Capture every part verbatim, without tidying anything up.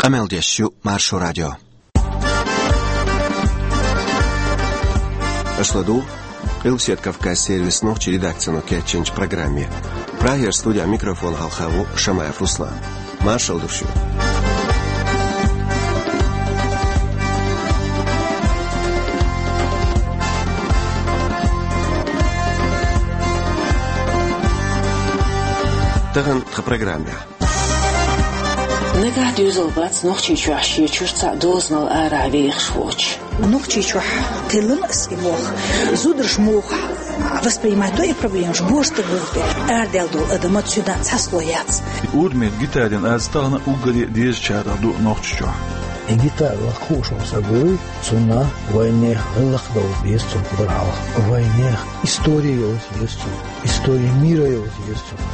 Къамел деш ю Маршо радио. Аша ладугӀу Къилбаседа Кавказан сервисан нохчийн редакцино кечйинчу программе. Прагера студехь микрофон хьалха ву Шамаев Руслан. Маршалла ду шуьга. Тахана тхан программехь. Нагахь доьзал бац Нохчийчохь шен чуьра цхьа дозанал арахь вехаш воцуш. Нохчийчохь кхеллина ас и болх. Зударша муха воспринимать до и проблемаш, божа стаг вух бе. Арадаьлла долу адам цуьнан цхьа слой яц. Урмин гитарин аз тахана уггаре дезачарах ду Нохчийчохь. И гитара лакхуш ву сан буй, цунна вайнех гӀиллакх долу деза цунна хабар хьалха. Вайнех история йолу деза цунна. История мира йолу деза цунна.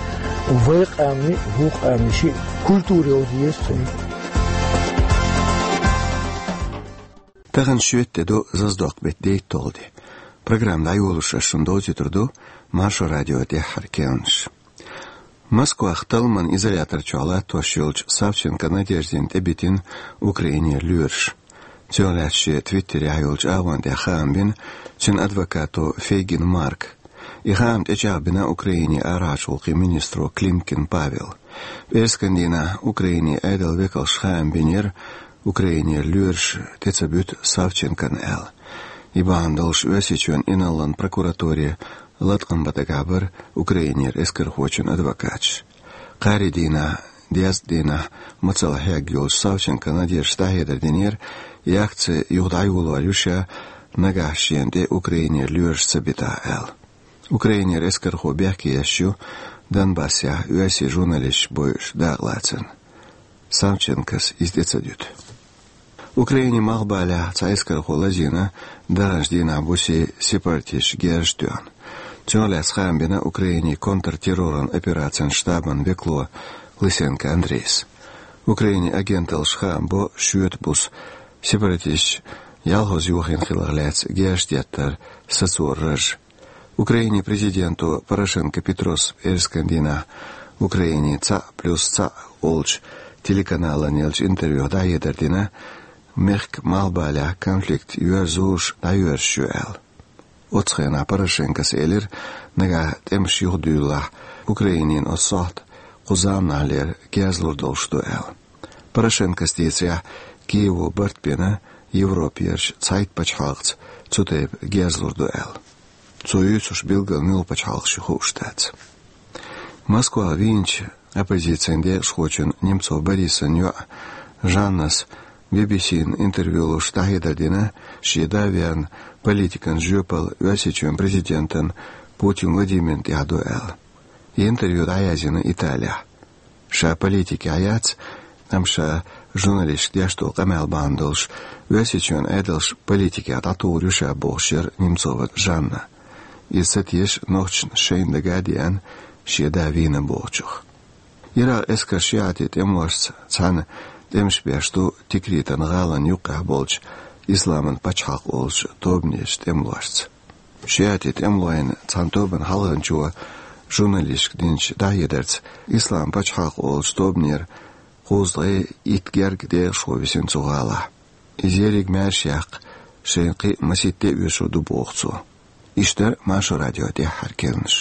Вай къамни, вукху къамни ши культура йолу деза цунна. Тахана шоьтан де ду, зазадоккху беттан дейтталгӀа де. Программа дӀайолош ас шуна довзуьйтур ду Маршо радион тӀаьххьара керланаш. Москвахь талламан изолятор чохь латтош йолчу Савченко Надеждина тӀебитина Украинера лоьраша. Цунах лаьцна шен Твиттерехь йолчу агӀон тӀехь хаам бина цуьнан адвокато Фейгин Марка. И хаам тӀечӀагӀбина Украинин арахьарчу гӀуллакхийн министро Климкин Павела. ПӀераскан дийнахь Украинин Ӏедалан векалша хаам бинера, Украинера лоьраш тӀе ца буьту Савченкона аьлла. И бахьана долуш Оьрсийчоьнан инарлан прокуратуре латкъам бан дагахь бара Украинера эскархочун адвокаташ. Кхаарин дийнахь, дезткъа дийнахь мацалла хьегна йолчу Савченко Надеждас дӀахьедар динера, и акци юха дӀайолор ю ша, нагахь шена тӀе Украинера лоьраш ца битахь аьлла. Украинера эскархо бехке еш ю Донбассехь оьрсийн журналисташ бойуш дакъалацарна. Савченкос иза тӀе ца дуьту. Украинин малхбалехь цхьа эскархо лазийна даханчу дийнахь буса сепаратисташа герз а тоьхна. Цунах лаьцна хаам бина Украинин контртерроран операцийн штабан векало Лысенко Андрейс. Украинин агенталлаша хаам бо шоьтан буса сепаратисташа ялхаза йохийна хиларх лаьцна герз теттар сацоран раж. Украинин президента Порошенко Петрос пӀераскан дийнахь Украинин цхьаъ плюс цхьаъ олучу телеканална еллачу интервьюхь дӀахьедар дина, мехкан малхбалехь конфликт йоьрзуш дӀайоьрзуш ю аьлла. Оццу хенахь Порошенкос элира, нагахь тӀемаш юхадуьйлалахь, Украинина оцу сохьта кху заманахьлера герз лур долуш ду аьлла. Порошенкос дийцарехь, Киево барт бина Европерчу цхьайтта пачхьалкхаца цу тайпа герз лур ду аьлла. Цо юьйцурш билггал муьлха пачхьалкхаш ю хууш дац. Москвахь вийначу оппозицин декъашхочун Немцов Борисан йоӀа Жаннас Би-би-сина интервью луш дӀахьедар дина, шен да верна политикан жоьпалла Оьрсийчоьнан президентан Путин Владимирна тӀехь ду аьлла. И интервью дӀаязйина Италехь. Ша политикехь яц, амма ша журналисташка деш долу къамел бахьана долуш, Оьрсийчоьнан Ӏедалш политикехь дӀатухур ю ша бохуш яра Немцова Жанна. Иза ца теша нохчашна шайна дага а деана, шен да вийна бохучух. Иракъан эскарш шиӀатийн тӀемалошца цхьаьна тӀемаш беш ду Тикритан гӀалин юккъехь болчу Исламан пачхьалкх олучу тобанерчу тӀемалошца. ШиӀатийн тӀемалойн цхьана тобанан хьалханчо журналисташка динчу дӀахьедарца, Исламан пачхьалкх олучу тобанера кхузткъе итт гергга декъашхо висина цу гӀалахь. Иза ерриг маьрша яккха, шайна кхин а масийтта тӀе оьшур ду боху цо. Иштта дара Маршо радион тӀаьххьара керланаш.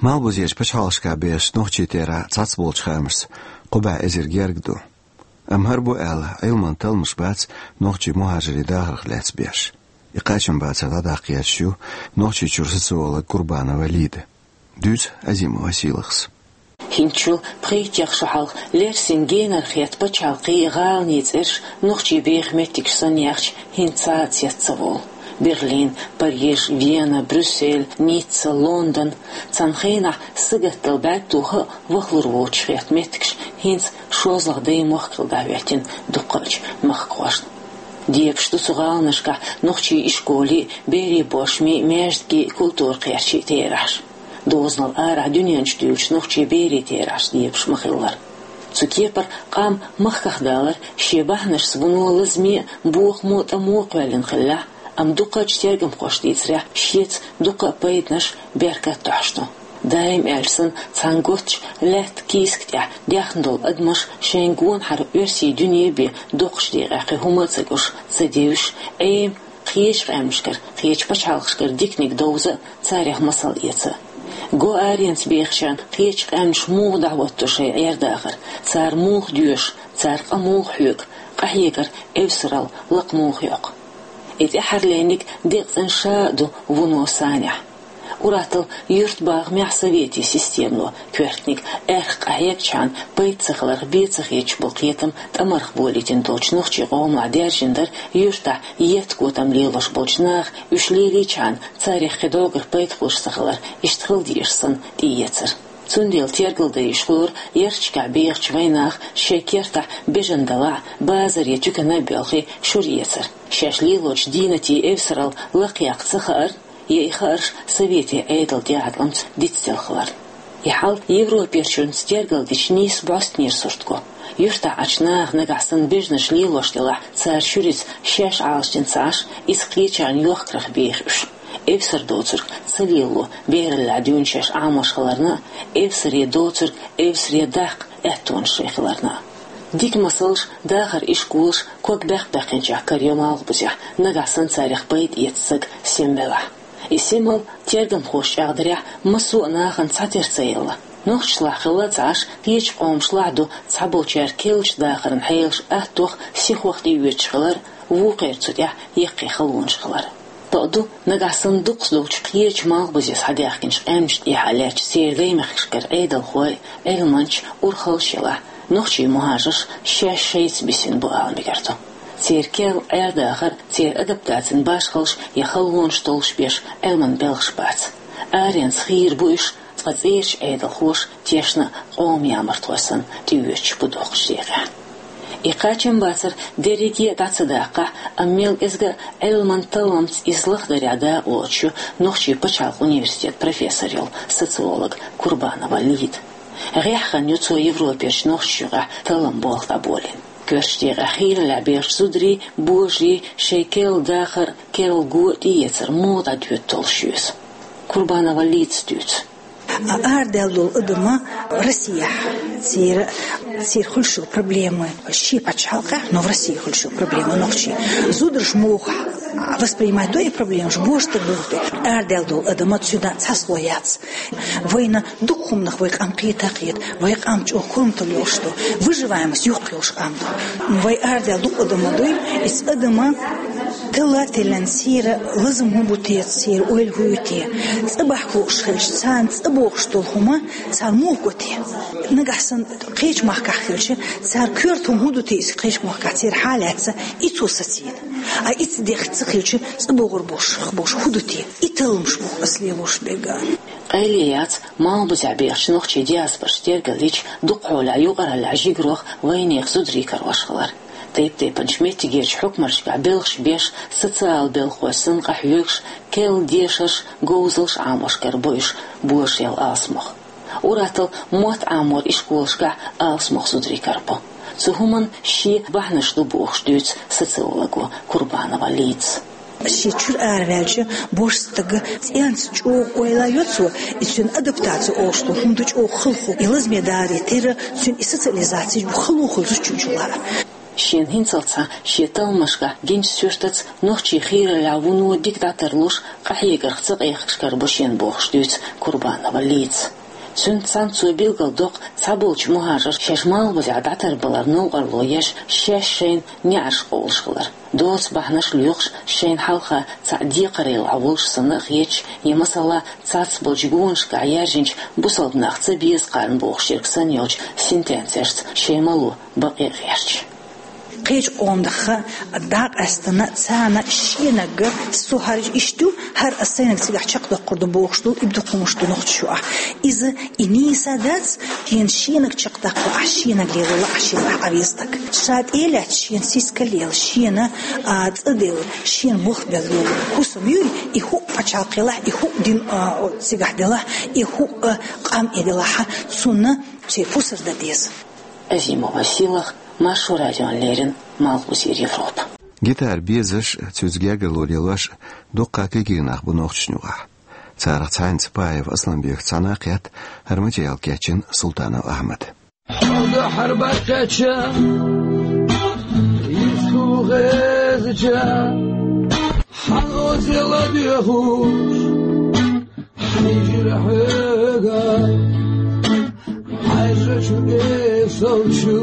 Малхбузерчу пачхьалкхашкахь бехаш нохчий тера цхьацболчу хаамашца кхо бӀе эзар гергга ду. Амма хӀара бу аьлла, Ӏилманан талламаш бац нохчийн мухӀажирийн дахарх лаьцна беш. И кхачамбацар дӀадаккха езаш ю Нохчийчуьра социолог Курбанова Лида. Дуьйцу Азимова Сийлахьас. ХӀинцачул пхийттех шо хьалха лерсина генара хетта пачхьалкхийн, гӀаланийн цӀераш нохчийн беха меттигаш санна яхча, хӀинца цец ца волу. Берлин, Париж, Вена, Брюссель, Ницца, Лондон — цхьана хенахь сагатдала бӀаьрг тоха а вахалур воцуш хетта меттигаш хӀинца шозлагӀа даймохк хилла дӀахӀоьттина дуккхачу махкахошна. Дебаш ду цу гӀаланашкахь нохчийн ишколий, берийн бошмий, маьждигий, культура кхерчийн терахьаш. Дозанал арахь дуьнен чу дуьйлучу нохчийн берийн терахьаш дебаш ма-хиллара. Цу кепара къам махках далар шен бахьанашца вуно лазаме а, бохамо а, тӀамо а кхоьллина хиллехь, Амма дукхача тергамхоша дийцарехь, шеца дукха а пайданаш, беркат а тохьаш ду. Даим аьлча санна, цхьана готтачу лаьттан кийсак тӀехь даьхна долу адамаш шайн гонахьара оьрсийн дуьне бен доккхачу декъехь кхин хӀума а ца гуш, ца девзаш, Ӏема кхечу къаьмнашкара, кхечу пачхьалкхашкара диканиг довза а, царех масал эца а. Го аренца бехачарна кхечу къаьмнаша муха дӀахӀотто шайн Ӏер-дахар, цара муха доьшу, цара къа муха хьоьгу, къахьегаран эвсаралла лакха муха йоккху. И тӀаьххьара леринарг декъацӀенна ша а ду вуно санехь. Ур-атталла юьртбахамехь советийн системано коьртаниг аьрха къахьегчхьана пайда ца хиларх бен ца хеташ болу кхетам тӀамарх болийтина долчу нохчийн къомехь даьржина дара юьртахь етта-котам лелош болчу наха, уьш лелийчхьана царех кхидӀогара пайда хуьлуш ца хилар иштта хила дезаш санна тӀеэцар. Цундела тергал дайша лору ярташкахь бехачу вайнаха шайн кертахь бежана далахь а, базар я туькана а боьлхий шура эцар. Шаьш лелочу дийнатийн эвсаралла лакхаяккха ца хаар, я и хаарш советийн Ӏедалан тӀеӀаткъамца дицделла хилар. И хьал европерчуьнца тергал дича нийса бӀостанера сурт го. Юьртахь Ӏачу наха нагахь санна бежанаш лелош делахь, цара шуьрица шаьш Ӏалашдина ца Ӏаш, иза кхечарна йохкарх беха уьш. Эвсара доцург ца лело, бераллехь дуьйна шаьш Ӏамош хиларна а, эвсаре доцург эвсаре даккха аьттонаш шайн хиларна а. Дика масалш, дахаран ишколаш ког баьккх-баьккхинчех карайо Малхбузехь, нагахь санна царех пайда эца стаг сема велахь. И семалла тергамхоша чӀагӀдарехь, массо а нахана цхьатера ца елла. Нохчашлахь хилла а ца Ӏаш, кхечу къомашлахь ду цхьаболчара керлачу дахаран хьелаш аттох, сихох тӀеоьцуш хилар, вукхеран цу тӀехь яккхий халонаш хилар. Бакъду, нагахь санна дукхахдолчу кхечу Малхбузе схьадаьхкинчу къаьмнашна тӀехь а лаьтташ церан даймехкашкара Ӏедалхой, Ӏилманчаш, урхаллаш елахь, нохчийн мухӀажарш шаьш шайца бисина бу ала мегар ду. Церан керла Ӏер-дахар, церан адаптацин башхаллаш я халонаш толлуш беш Ӏилманан белхаш бац. Аренца хийра бу уьш, ткъа цӀерачу Ӏедалхоша тешна а къоман ямартхой санна тӀеоьцуш бу доккхачу декъехь. И кхачамбацар дерриге а дӀа ца даккхахь, амма мел кӀезга а Ӏилманан талламца иза лахдарехь дакъалоцуш ю Нохчийн пачхьалкхан университетан профессор йолу социолог Курбанова Лида. ГӀеххьана ю цо Европерчу нохчашна юкъахь таллам болх дӀаболийна. Коьртачу декъехь хийраллехь бехачу зударийн, божарийн шайн керла дахар, керла го тӀеэцар муха дӀадоьду толлуш ю иза. Курбанова Лидас дуьйцу. А арадаьлла долу адам Россехь, церан, церан хуьлуш йолу проблема шен пачхьалкхехь, но в России хуьлуш йолу проблема нохчийн. Зударша муха воспринимать до и проблемаш, божа стаг муха де. Арадаьлла долу адам цуьнан цхьа слой яц. Вайна дукха хӀуманах вай къам кхета а кхета, вай къам чӀогӀа корматалла йолуш ду, выживаемость йоккха йолуш къам ду. Вай арадаьлла дукха адам ма дуй, иза адам талла а теллина, церан лазам хӀун бу те, церан ойла хӀун ю те, цӀа бахка лууш хилча, царна цӀа бохуш долу хӀума цара муха го те. Нагахь санна кхечу махкахь хилча, цара коьрта хӀума хӀун ду те иза кхечу махкахь, церан хьал яц и цо сацийна. А и ца дехка ца хилча, цӀа богӀур болуш, болуш хӀун ду те? И талламаш бу ас лелош берг. Къайле яц Малхбузехь бехачу нохчийн диаспоран тергаллича дукха хьолехь юкъараллехь жигарох вайнехан зударий карош хилар. Тайп-тайпанчу меттигерчу хьукмаршкахь белхаш беш, социалан белхахой санна къахьоьгуш, керла дешарш, говзалш Ӏамош карабо уьш божарел алсамох. Ур-атталла мотт Ӏаморан ишколашкахь алсамох зударий карабо. Цу хӀуманна шен бахьанаш ду бохуш дуьйцу социолого Курбанова Лидас. Шен чуьра араваьлча, божа стага цӀенца чӀогӀа ойла йо цо, и цуьнан адаптаци олуш долу хӀума ду чӀогӀа халхо, и лазаме даре терра, цуьнан и социализаци бу халонхула зудчун чу лаа. Шена хӀинцалц а шен талламашкахь гинчу суьртаца нохчийн хийраллехь вуно дика дӀатарлуш, къахьегарх ца къехкаш карабо шена бохуш дуьйцу Курбанова Лидас. Цуьнца цхьаьна цо билгалдоккху цхьаболчу мухӀажарша шаьш Малхбузехь дӀатарбалар новкъарло еш, шаьш шайна неӀарш къовлуш хилар. Доцу бахьанаш лоькхуш, шайна хьалха цхьаъ декхарийлахь волуш санна а хеташ, я, масала, цхьацца болчу гонашкахь яьржинчу бусалба нах ца беза кхарна бохуш ерг санна йолчу сентенцешца шайн мало бакъе а гӀерташ. Кхечу къоман даха дӀакъаьстина царна шенага со хӀара иштта ю, хӀара ас сайнаг цигахь чекхдоккхур ду бохуш долу и дукха хӀумаш ду нохчашчохь. Иза и нийса дац, шена шенаг чекхдаккхалахь, шенаг лелалахь, шена ахь Ӏавеза стаг. Ша тӀе а лаьцна, шена сиска лела, шена, а, цӀа делла, шена болх бел йолу хӀусам юй, и хӀуъа пачхьалкхелахь, и хӀуъа дин, а, цигахь делахь, и хӀуъа, а, къам и делахь, цунна цуьнан пусар дан деза. Азимова Силах, Маршо радиона леррина, Малхбузера Европа. Гитара безаш, цуьнца гергарло лелош дуккха кегий нах бу Нохчийчоьнахь. Царах цхьаьнца Паев Асланбека цхьаьна кхетта хӀара материал кечйина Султанов Ахьмада. Хьо ду хьарбаккхеча, йистхула хезача, хьан оза ладоьгӀуш, хьийжира хьоьга, хьаьжачу эсалчу.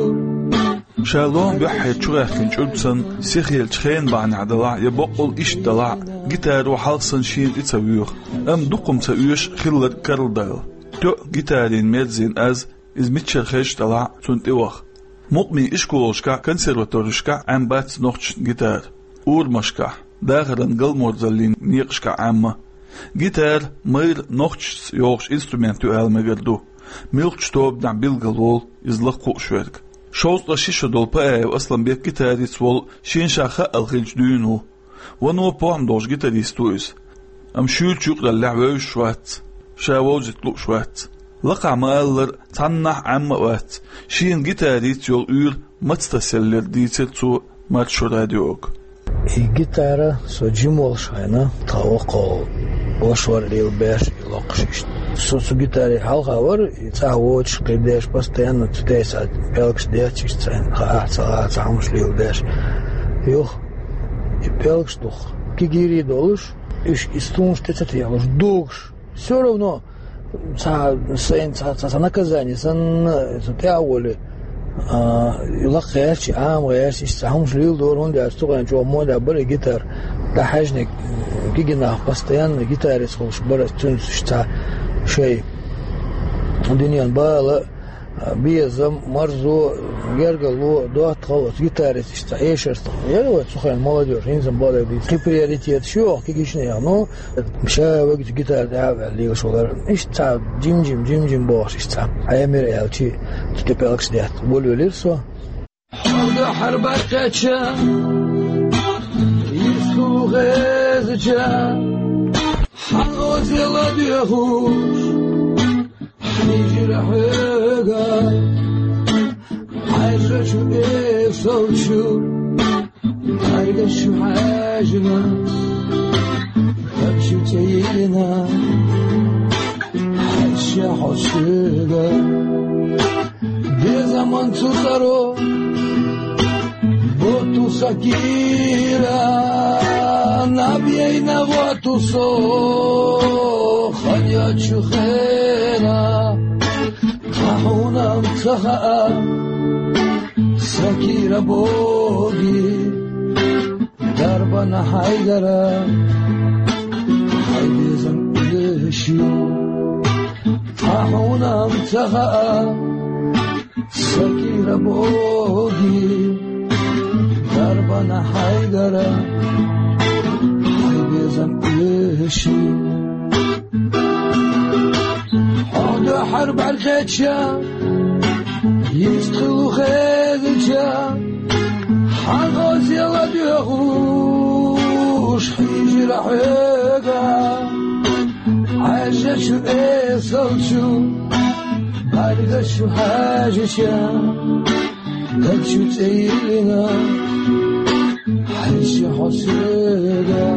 Ша лоам баьххьара чугӀаьхкина чӀург санна, сихъелча хенан бахьанехь далахь я боккъал иштта далахь, гитаро хьалха санна шена тӀе ца воьху, амма дукха хӀума ца оьшу хилларг карладала. Тоьа гитарина мерзина аз, иза миччара хезаш далахь а цунна тӀе ваха. Мукъамийн ишколашкахь, консерваторешкахь Ӏембац нохчашна гитара. Урамашкахь, дахаран галморзаллин некъашкахь Ӏемма. Гитара майра нохчашца йогӀуш инструмент ю аьлла мегар ду. Муьлххачу тобанехь билгалволу иза лакха хууш верг. Шовзткъе ши шо долу Паев Асланбек гитарист волу шен ша хаъал хилча дуьйна ву. Вано похӀма долуш гитарист ву иза. Амма шуьйрачу юкъараллехь вевзаш вац, ша вовзийта лууш вац. Лакхахь ма-аллара, цхьаннахь Ӏемма а вац, шена гитарица йолу уьйр маца тасаеллера дийцира цо Маршо радиога. И гитара со жима волуш хенахь, тхан воккхал вашор лелабеш и локхуш иштта. Со цу гитаре хьалха вара, и цӀахь воцуш кхин деш, постоянно цу тӀе схьа пӀелгаш детташ, цхьаьна хаахь ца хаахь цхьа хӀумаш леладеш. Юха и пӀелгаш дух кегийрий долуш, уьш и стунаш тӀе ца техалуш, дугуш. Всё равно цхьа сайна цхьа, цхьа, цхьа наказание санна, со тӀе а волий, а, лакха гӀерташ, Ӏама гӀерташ, иштта цхьа хӀумаш леладора, хӀунда аьлча цу хенахь чӀогӀа мода бара и гитара. ДӀахьаьжниг кегий нах постоянно гитарист хуьлуш бара, цуьнца иштта цхьа шайн дуьненан бала, безам, марзо, гергарло, доттагӀалла оцу гитарист иштта цхьа эшарца. Яра вай цу хенахь молодёжь, хӀинца-м бала дийца. Кхин приоритеташ ю оха кегийчу нехан, ну, ша вегачу гитара тӀе а ваьлла лелаш валар. Иштта цхьа жим-жим, жим-жим бохуш иштта цхьа. Ӏемира аьлча, цу тӀе пӀелгаш детта. Волавелира со. Хьо ду хьарбаккхеча, йистхула хезача, хьан оза ладоьгӀуш, хьийжира хьоьга, хьаьжачу эсалчу, хьайгаш шу хьаьжна, хӀара шу цӀе йиллина, хьаьжча хьо соьга. Безаман цу цӀаро ботту сан кийра, наб яйна вотту со хан йоцчу хенахь. Тхан хьуна-м ца хаьа, сан кийра боги дарбана хьайгара, хьайн безам оьший. Тхан хьуна-м ца хаьа, сан кийра боги дарбана хьайгара, хьайн безам оьший. Хьо ду хьарбаккхеча, йистхула хезача, хьан оза ладоьгӀуш, хьийжира хьоьга, хьаьжачу эсалчу, бӀаьргаш шу хьаьжча, даг шу цӀе йиллина, хьаьжча хьо соьга.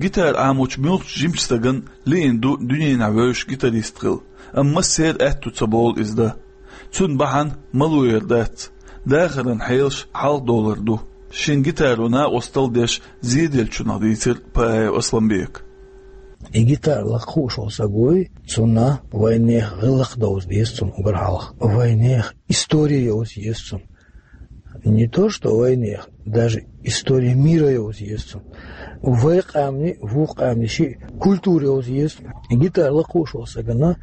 Гитара Ӏамочу муьлххачу жимачу стагана лиъна ду дуьненахь вевзаш гитарист хила, амма массеран аьтту ца болу иза дан. Цунна бахьана малоьра дац, дахаран хьелаш хьалхадовлар ду, шен гитаро накъосталла деш зеделлачунах, дийцира Паев Асланбека. И гитара лакха хууш волу саг вуй, цунна вайнехан гӀиллакх довза деза цунна уггар хьалха. Вайнехан история йовза еза цунна. Не то что вайнехан, даже история мира йовза еза цунна. Вай къаьмнийн, вукху къаьмнийн шиъ культура йовза еза цунна. Гитара лакха хууш волу сагана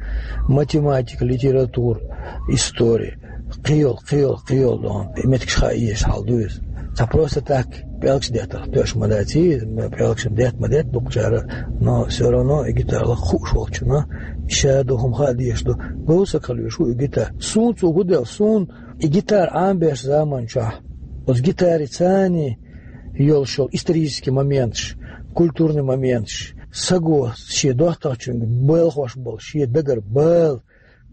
математика, литература, история, кхин йолу, кхин йолу, кхин йолу дохьуна меттигаш хаа езаш хьал ду иза. Цхьа просто так пӀелгаш деттарх тоьаш ма дац иза, пӀелгаш детта ма детта дукхачара, но всё равно и гитара лакха хууш волчунна ша ду хӀума хаа дезаш ду. Говза саг хила везаш ву и гитара. Суна цо хӀун делла, суна и гитара Ӏамбеш заман чохь, оцу гитари царний йолуш йолу исторический моменташ, культурный моменташ, саго шен доттагӀчуьнга белхош болу шен дагара бала,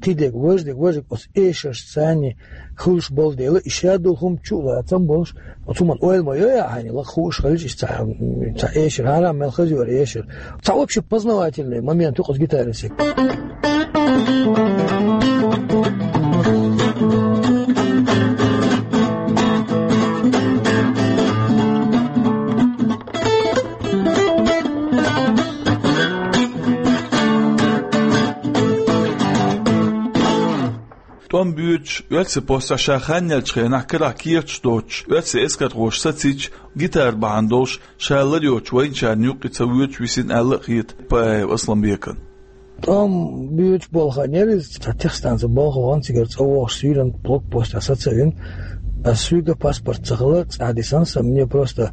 кхидерг, важдерг, важдерг, оцу эшарш царна хуьлуш болу дела, и шадолу хӀума чу а лацам болуш, оцу хӀуманна ойла ма йо яа хьайна, лакха хууш хилча, иштта цхьа, цхьа эшар хьарам мел хаза йора эшар. Цхьа общий познавательный момент ю кхуза гитарин сек. ТӀом боьдуш, оьрсийн постехь ша хан еллачу хенахь карахь кехаташ доцуш, оьрсийн эскархоша сацийча, гитара бахьана долуш, ша лар йоцуш вайначарна юккъе ца воьдуш висина аьлла а хета Паев Асламбекана. ТӀом боьдуш болу хан яра иза, цхьа техстанцин болх бан цигара цӀа вогӀуш суьйранна блокпостехь саца а вина, ас суьйга паспорт ца хилар цӀахь дисна сан, мне просто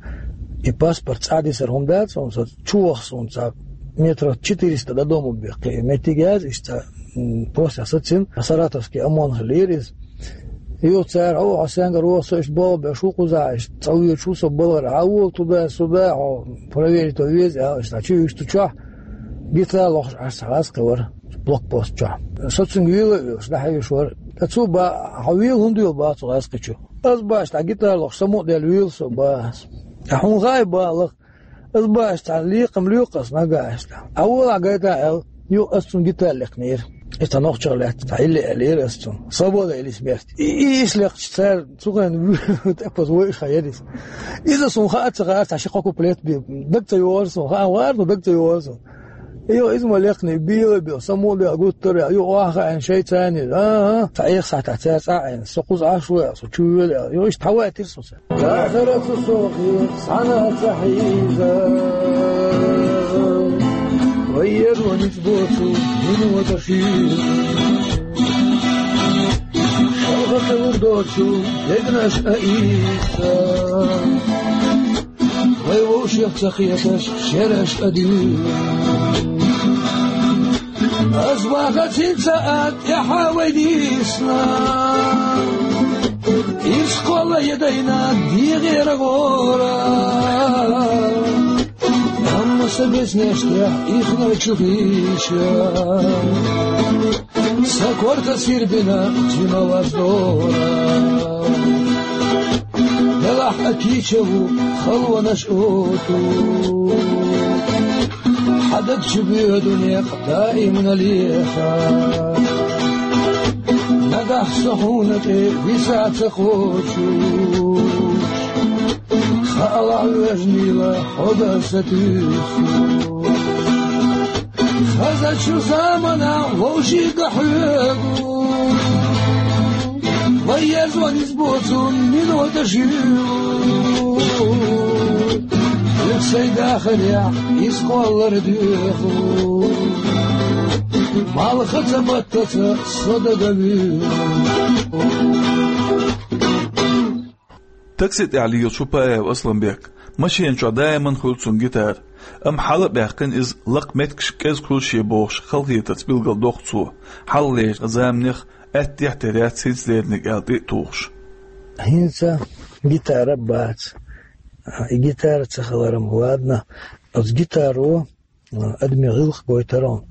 и паспорт цӀахь дисар хӀума дац, хьуна сан чу ваха суна цхьа метров четыреста до дома бехке, меттиг яз иштта, м, постехь сацина, Саратовский ОМОН хилира иза. Юха цара: «О, хьо сенгара воху, со иштта болх беш ву кхузахь, иштта цӀа воьдуш ву со балхара, хьан волу туда-сюда, хьо проверить ван веза», аьлла, иштта чу вуьгуш цу чохь гитара лохуш Ӏаш цхьа гӀаз кхин вара блокпост чохь. Со цуьнга вела а велаш, дӀахьевзаш вара. Ткъа цо баха: «Хьо вела хӀунда йолу баха цу гӀаз кхин чу?» Ас баха цхьа гитара лохуш, сан мукъа дела вела со баха. Ткъа хьуна хаьа баха лаха. Ас баха цхьа лекхам лоькху ас нагахь иштта. Ахь волахь гайта аьлла, юха ас цунна гитара лекхнера. Иза цхьа нохчалла лаьцна, цхьа хӀилла аьллера ас цунна. Свобода или смерть. И, и, иштта лекхча цара цу хенахь тӀекхоза вай иша хьан яра иза. Иза суна хаа ца хаьара, цхьа ши-кхо куплет бен. Даг ца йогӀура суна, хаа вара, но даг ца йогӀура суна. Йо, иза ма лекхний, бела а бела, сан мукъа дела гуттар а, йо, охьахаийна шайца а. ХӀан-хӀа, цхьа эха сахьтехь цара цӀа а Ӏийна, со кхуза Ӏаш ву аьлла, со чу вела аьлла. Йо, иштта хьаваьтира со цара. Дахарца со хир, цхьанна а ца хьийза. Вай езо ницкъ боцу, минота шийла. Шалха ца лур доцу, дегнаш а ийца. Вай вовшех ца кхеташ, шераш а дуьйна. Ас баха цинца а тӀаьхьа вай дийсна. Иза кхолла я дайна дегӀера гӀора. Амма сан безнештехь ихначу хиша. Сан корта сирбина жималаз дора. Делахь а кийча ву халонаш оцу. Хьан даг чу боьду некъ даимна леха. Нагахь со хьуна тӀе виса ца кхочу. Хаалахь вежнийла хьо дан сатуьйсу. Хазачу заманахь вовшийн хьоьгу. Вай езо ницкъ боцу минота шуьйгу. Юха сайн дахарехь иза кхоллар доьху. Малхаца, баттаца со дага вуьйгу. Такси тӀехь лелаш ву Паев Асламбек. Машина чохь даиман хуьлу цуьнан гитара. Амма хьала а баьккхина иза лакха меттигашка кӀезиг хуьлу шен бохуш, халахетарца билгалдоккху цо. Хьалхалерчу заманех аьттехьа тера яц хӀинца леринарг аьлла тӀе а тухуш. ХӀинца гитара бац. И гитара ца хиларм, ладно. Оцу гитаро адамийн гӀиллакх гойтарон,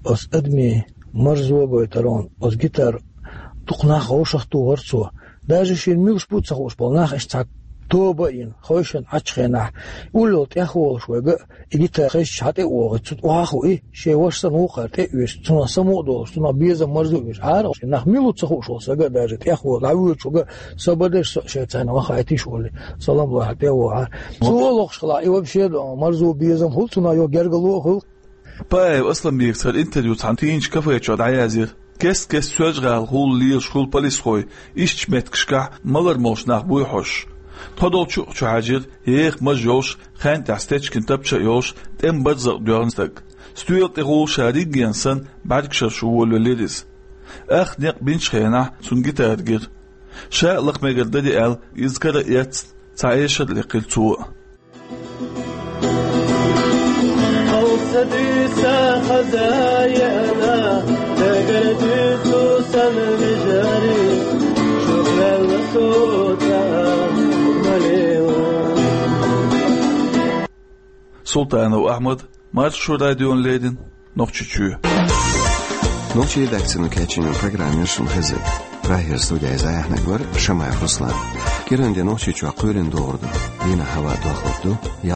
оцу адамийн марзо гойтарон, оцу гитара дукха нах вовшахтухара цо. Даже шена муьлш бу ца хууш болу нах иштта цхьа тоба а йина, хойшина Ӏачу хенахь, уллул тӀехволуш вайга а, и гитара хезча хьан тӀе а вогӀуьйту, цу тӀе охьахуи, шен ваша санна вукхара тӀе а оьшуш, цунах самукъа долуш, цунах безам марзо оьшуш, Ӏара нах мила ву ца хууш волу сага а даже тӀехволу, дӀавоьдуш вага, Со бадеш со шайн царна вахайтиш волу, салам лахьа тӀе а вогӀа. Цо лохуш хила, и вообще марзо безам хул цунах, йо гергало а хул. Паев Асламбекаца хӀара интервью цхьана тийначу кафе чохь дӀаязйира. Кест-кеста Соьлжа-ГӀала хулла лелаш хуьлу полисхой, ишттачу меттигашкахь малар молуш нах буй хьожуш. Тхо долчу а чу хьаьжира, еха маж йолуш, хенна тӀехь стечкина тапча а йолуш, тӀеман барзакъ доьгӀна стаг. Стоьла тӀе гӀула ша риггенна санна, бӀаьргашара шу волавелира иза. Ах некъ бинчу хенахь цунна гитара гира. Ша а лакха мегар дарий аьлла, иза кара а эцна, цхьа эшар а лекхира цо. Хьовса дуьйса хаза еана, дагара дуьйцу сан вижарий, чухваьлла со цӀа малийла. Султанов Ахьмад, Маршо радиона леррина, Нохчийчоь. Нохчийн редакцино кечйина программера шун хеза. Прагера студийчу зӀе яннаг вара Шамаев Руслан. КӀиранде Нохчийчохь кхоьлина догӀур ду. Дийнахь хӀаваан дохлур ду.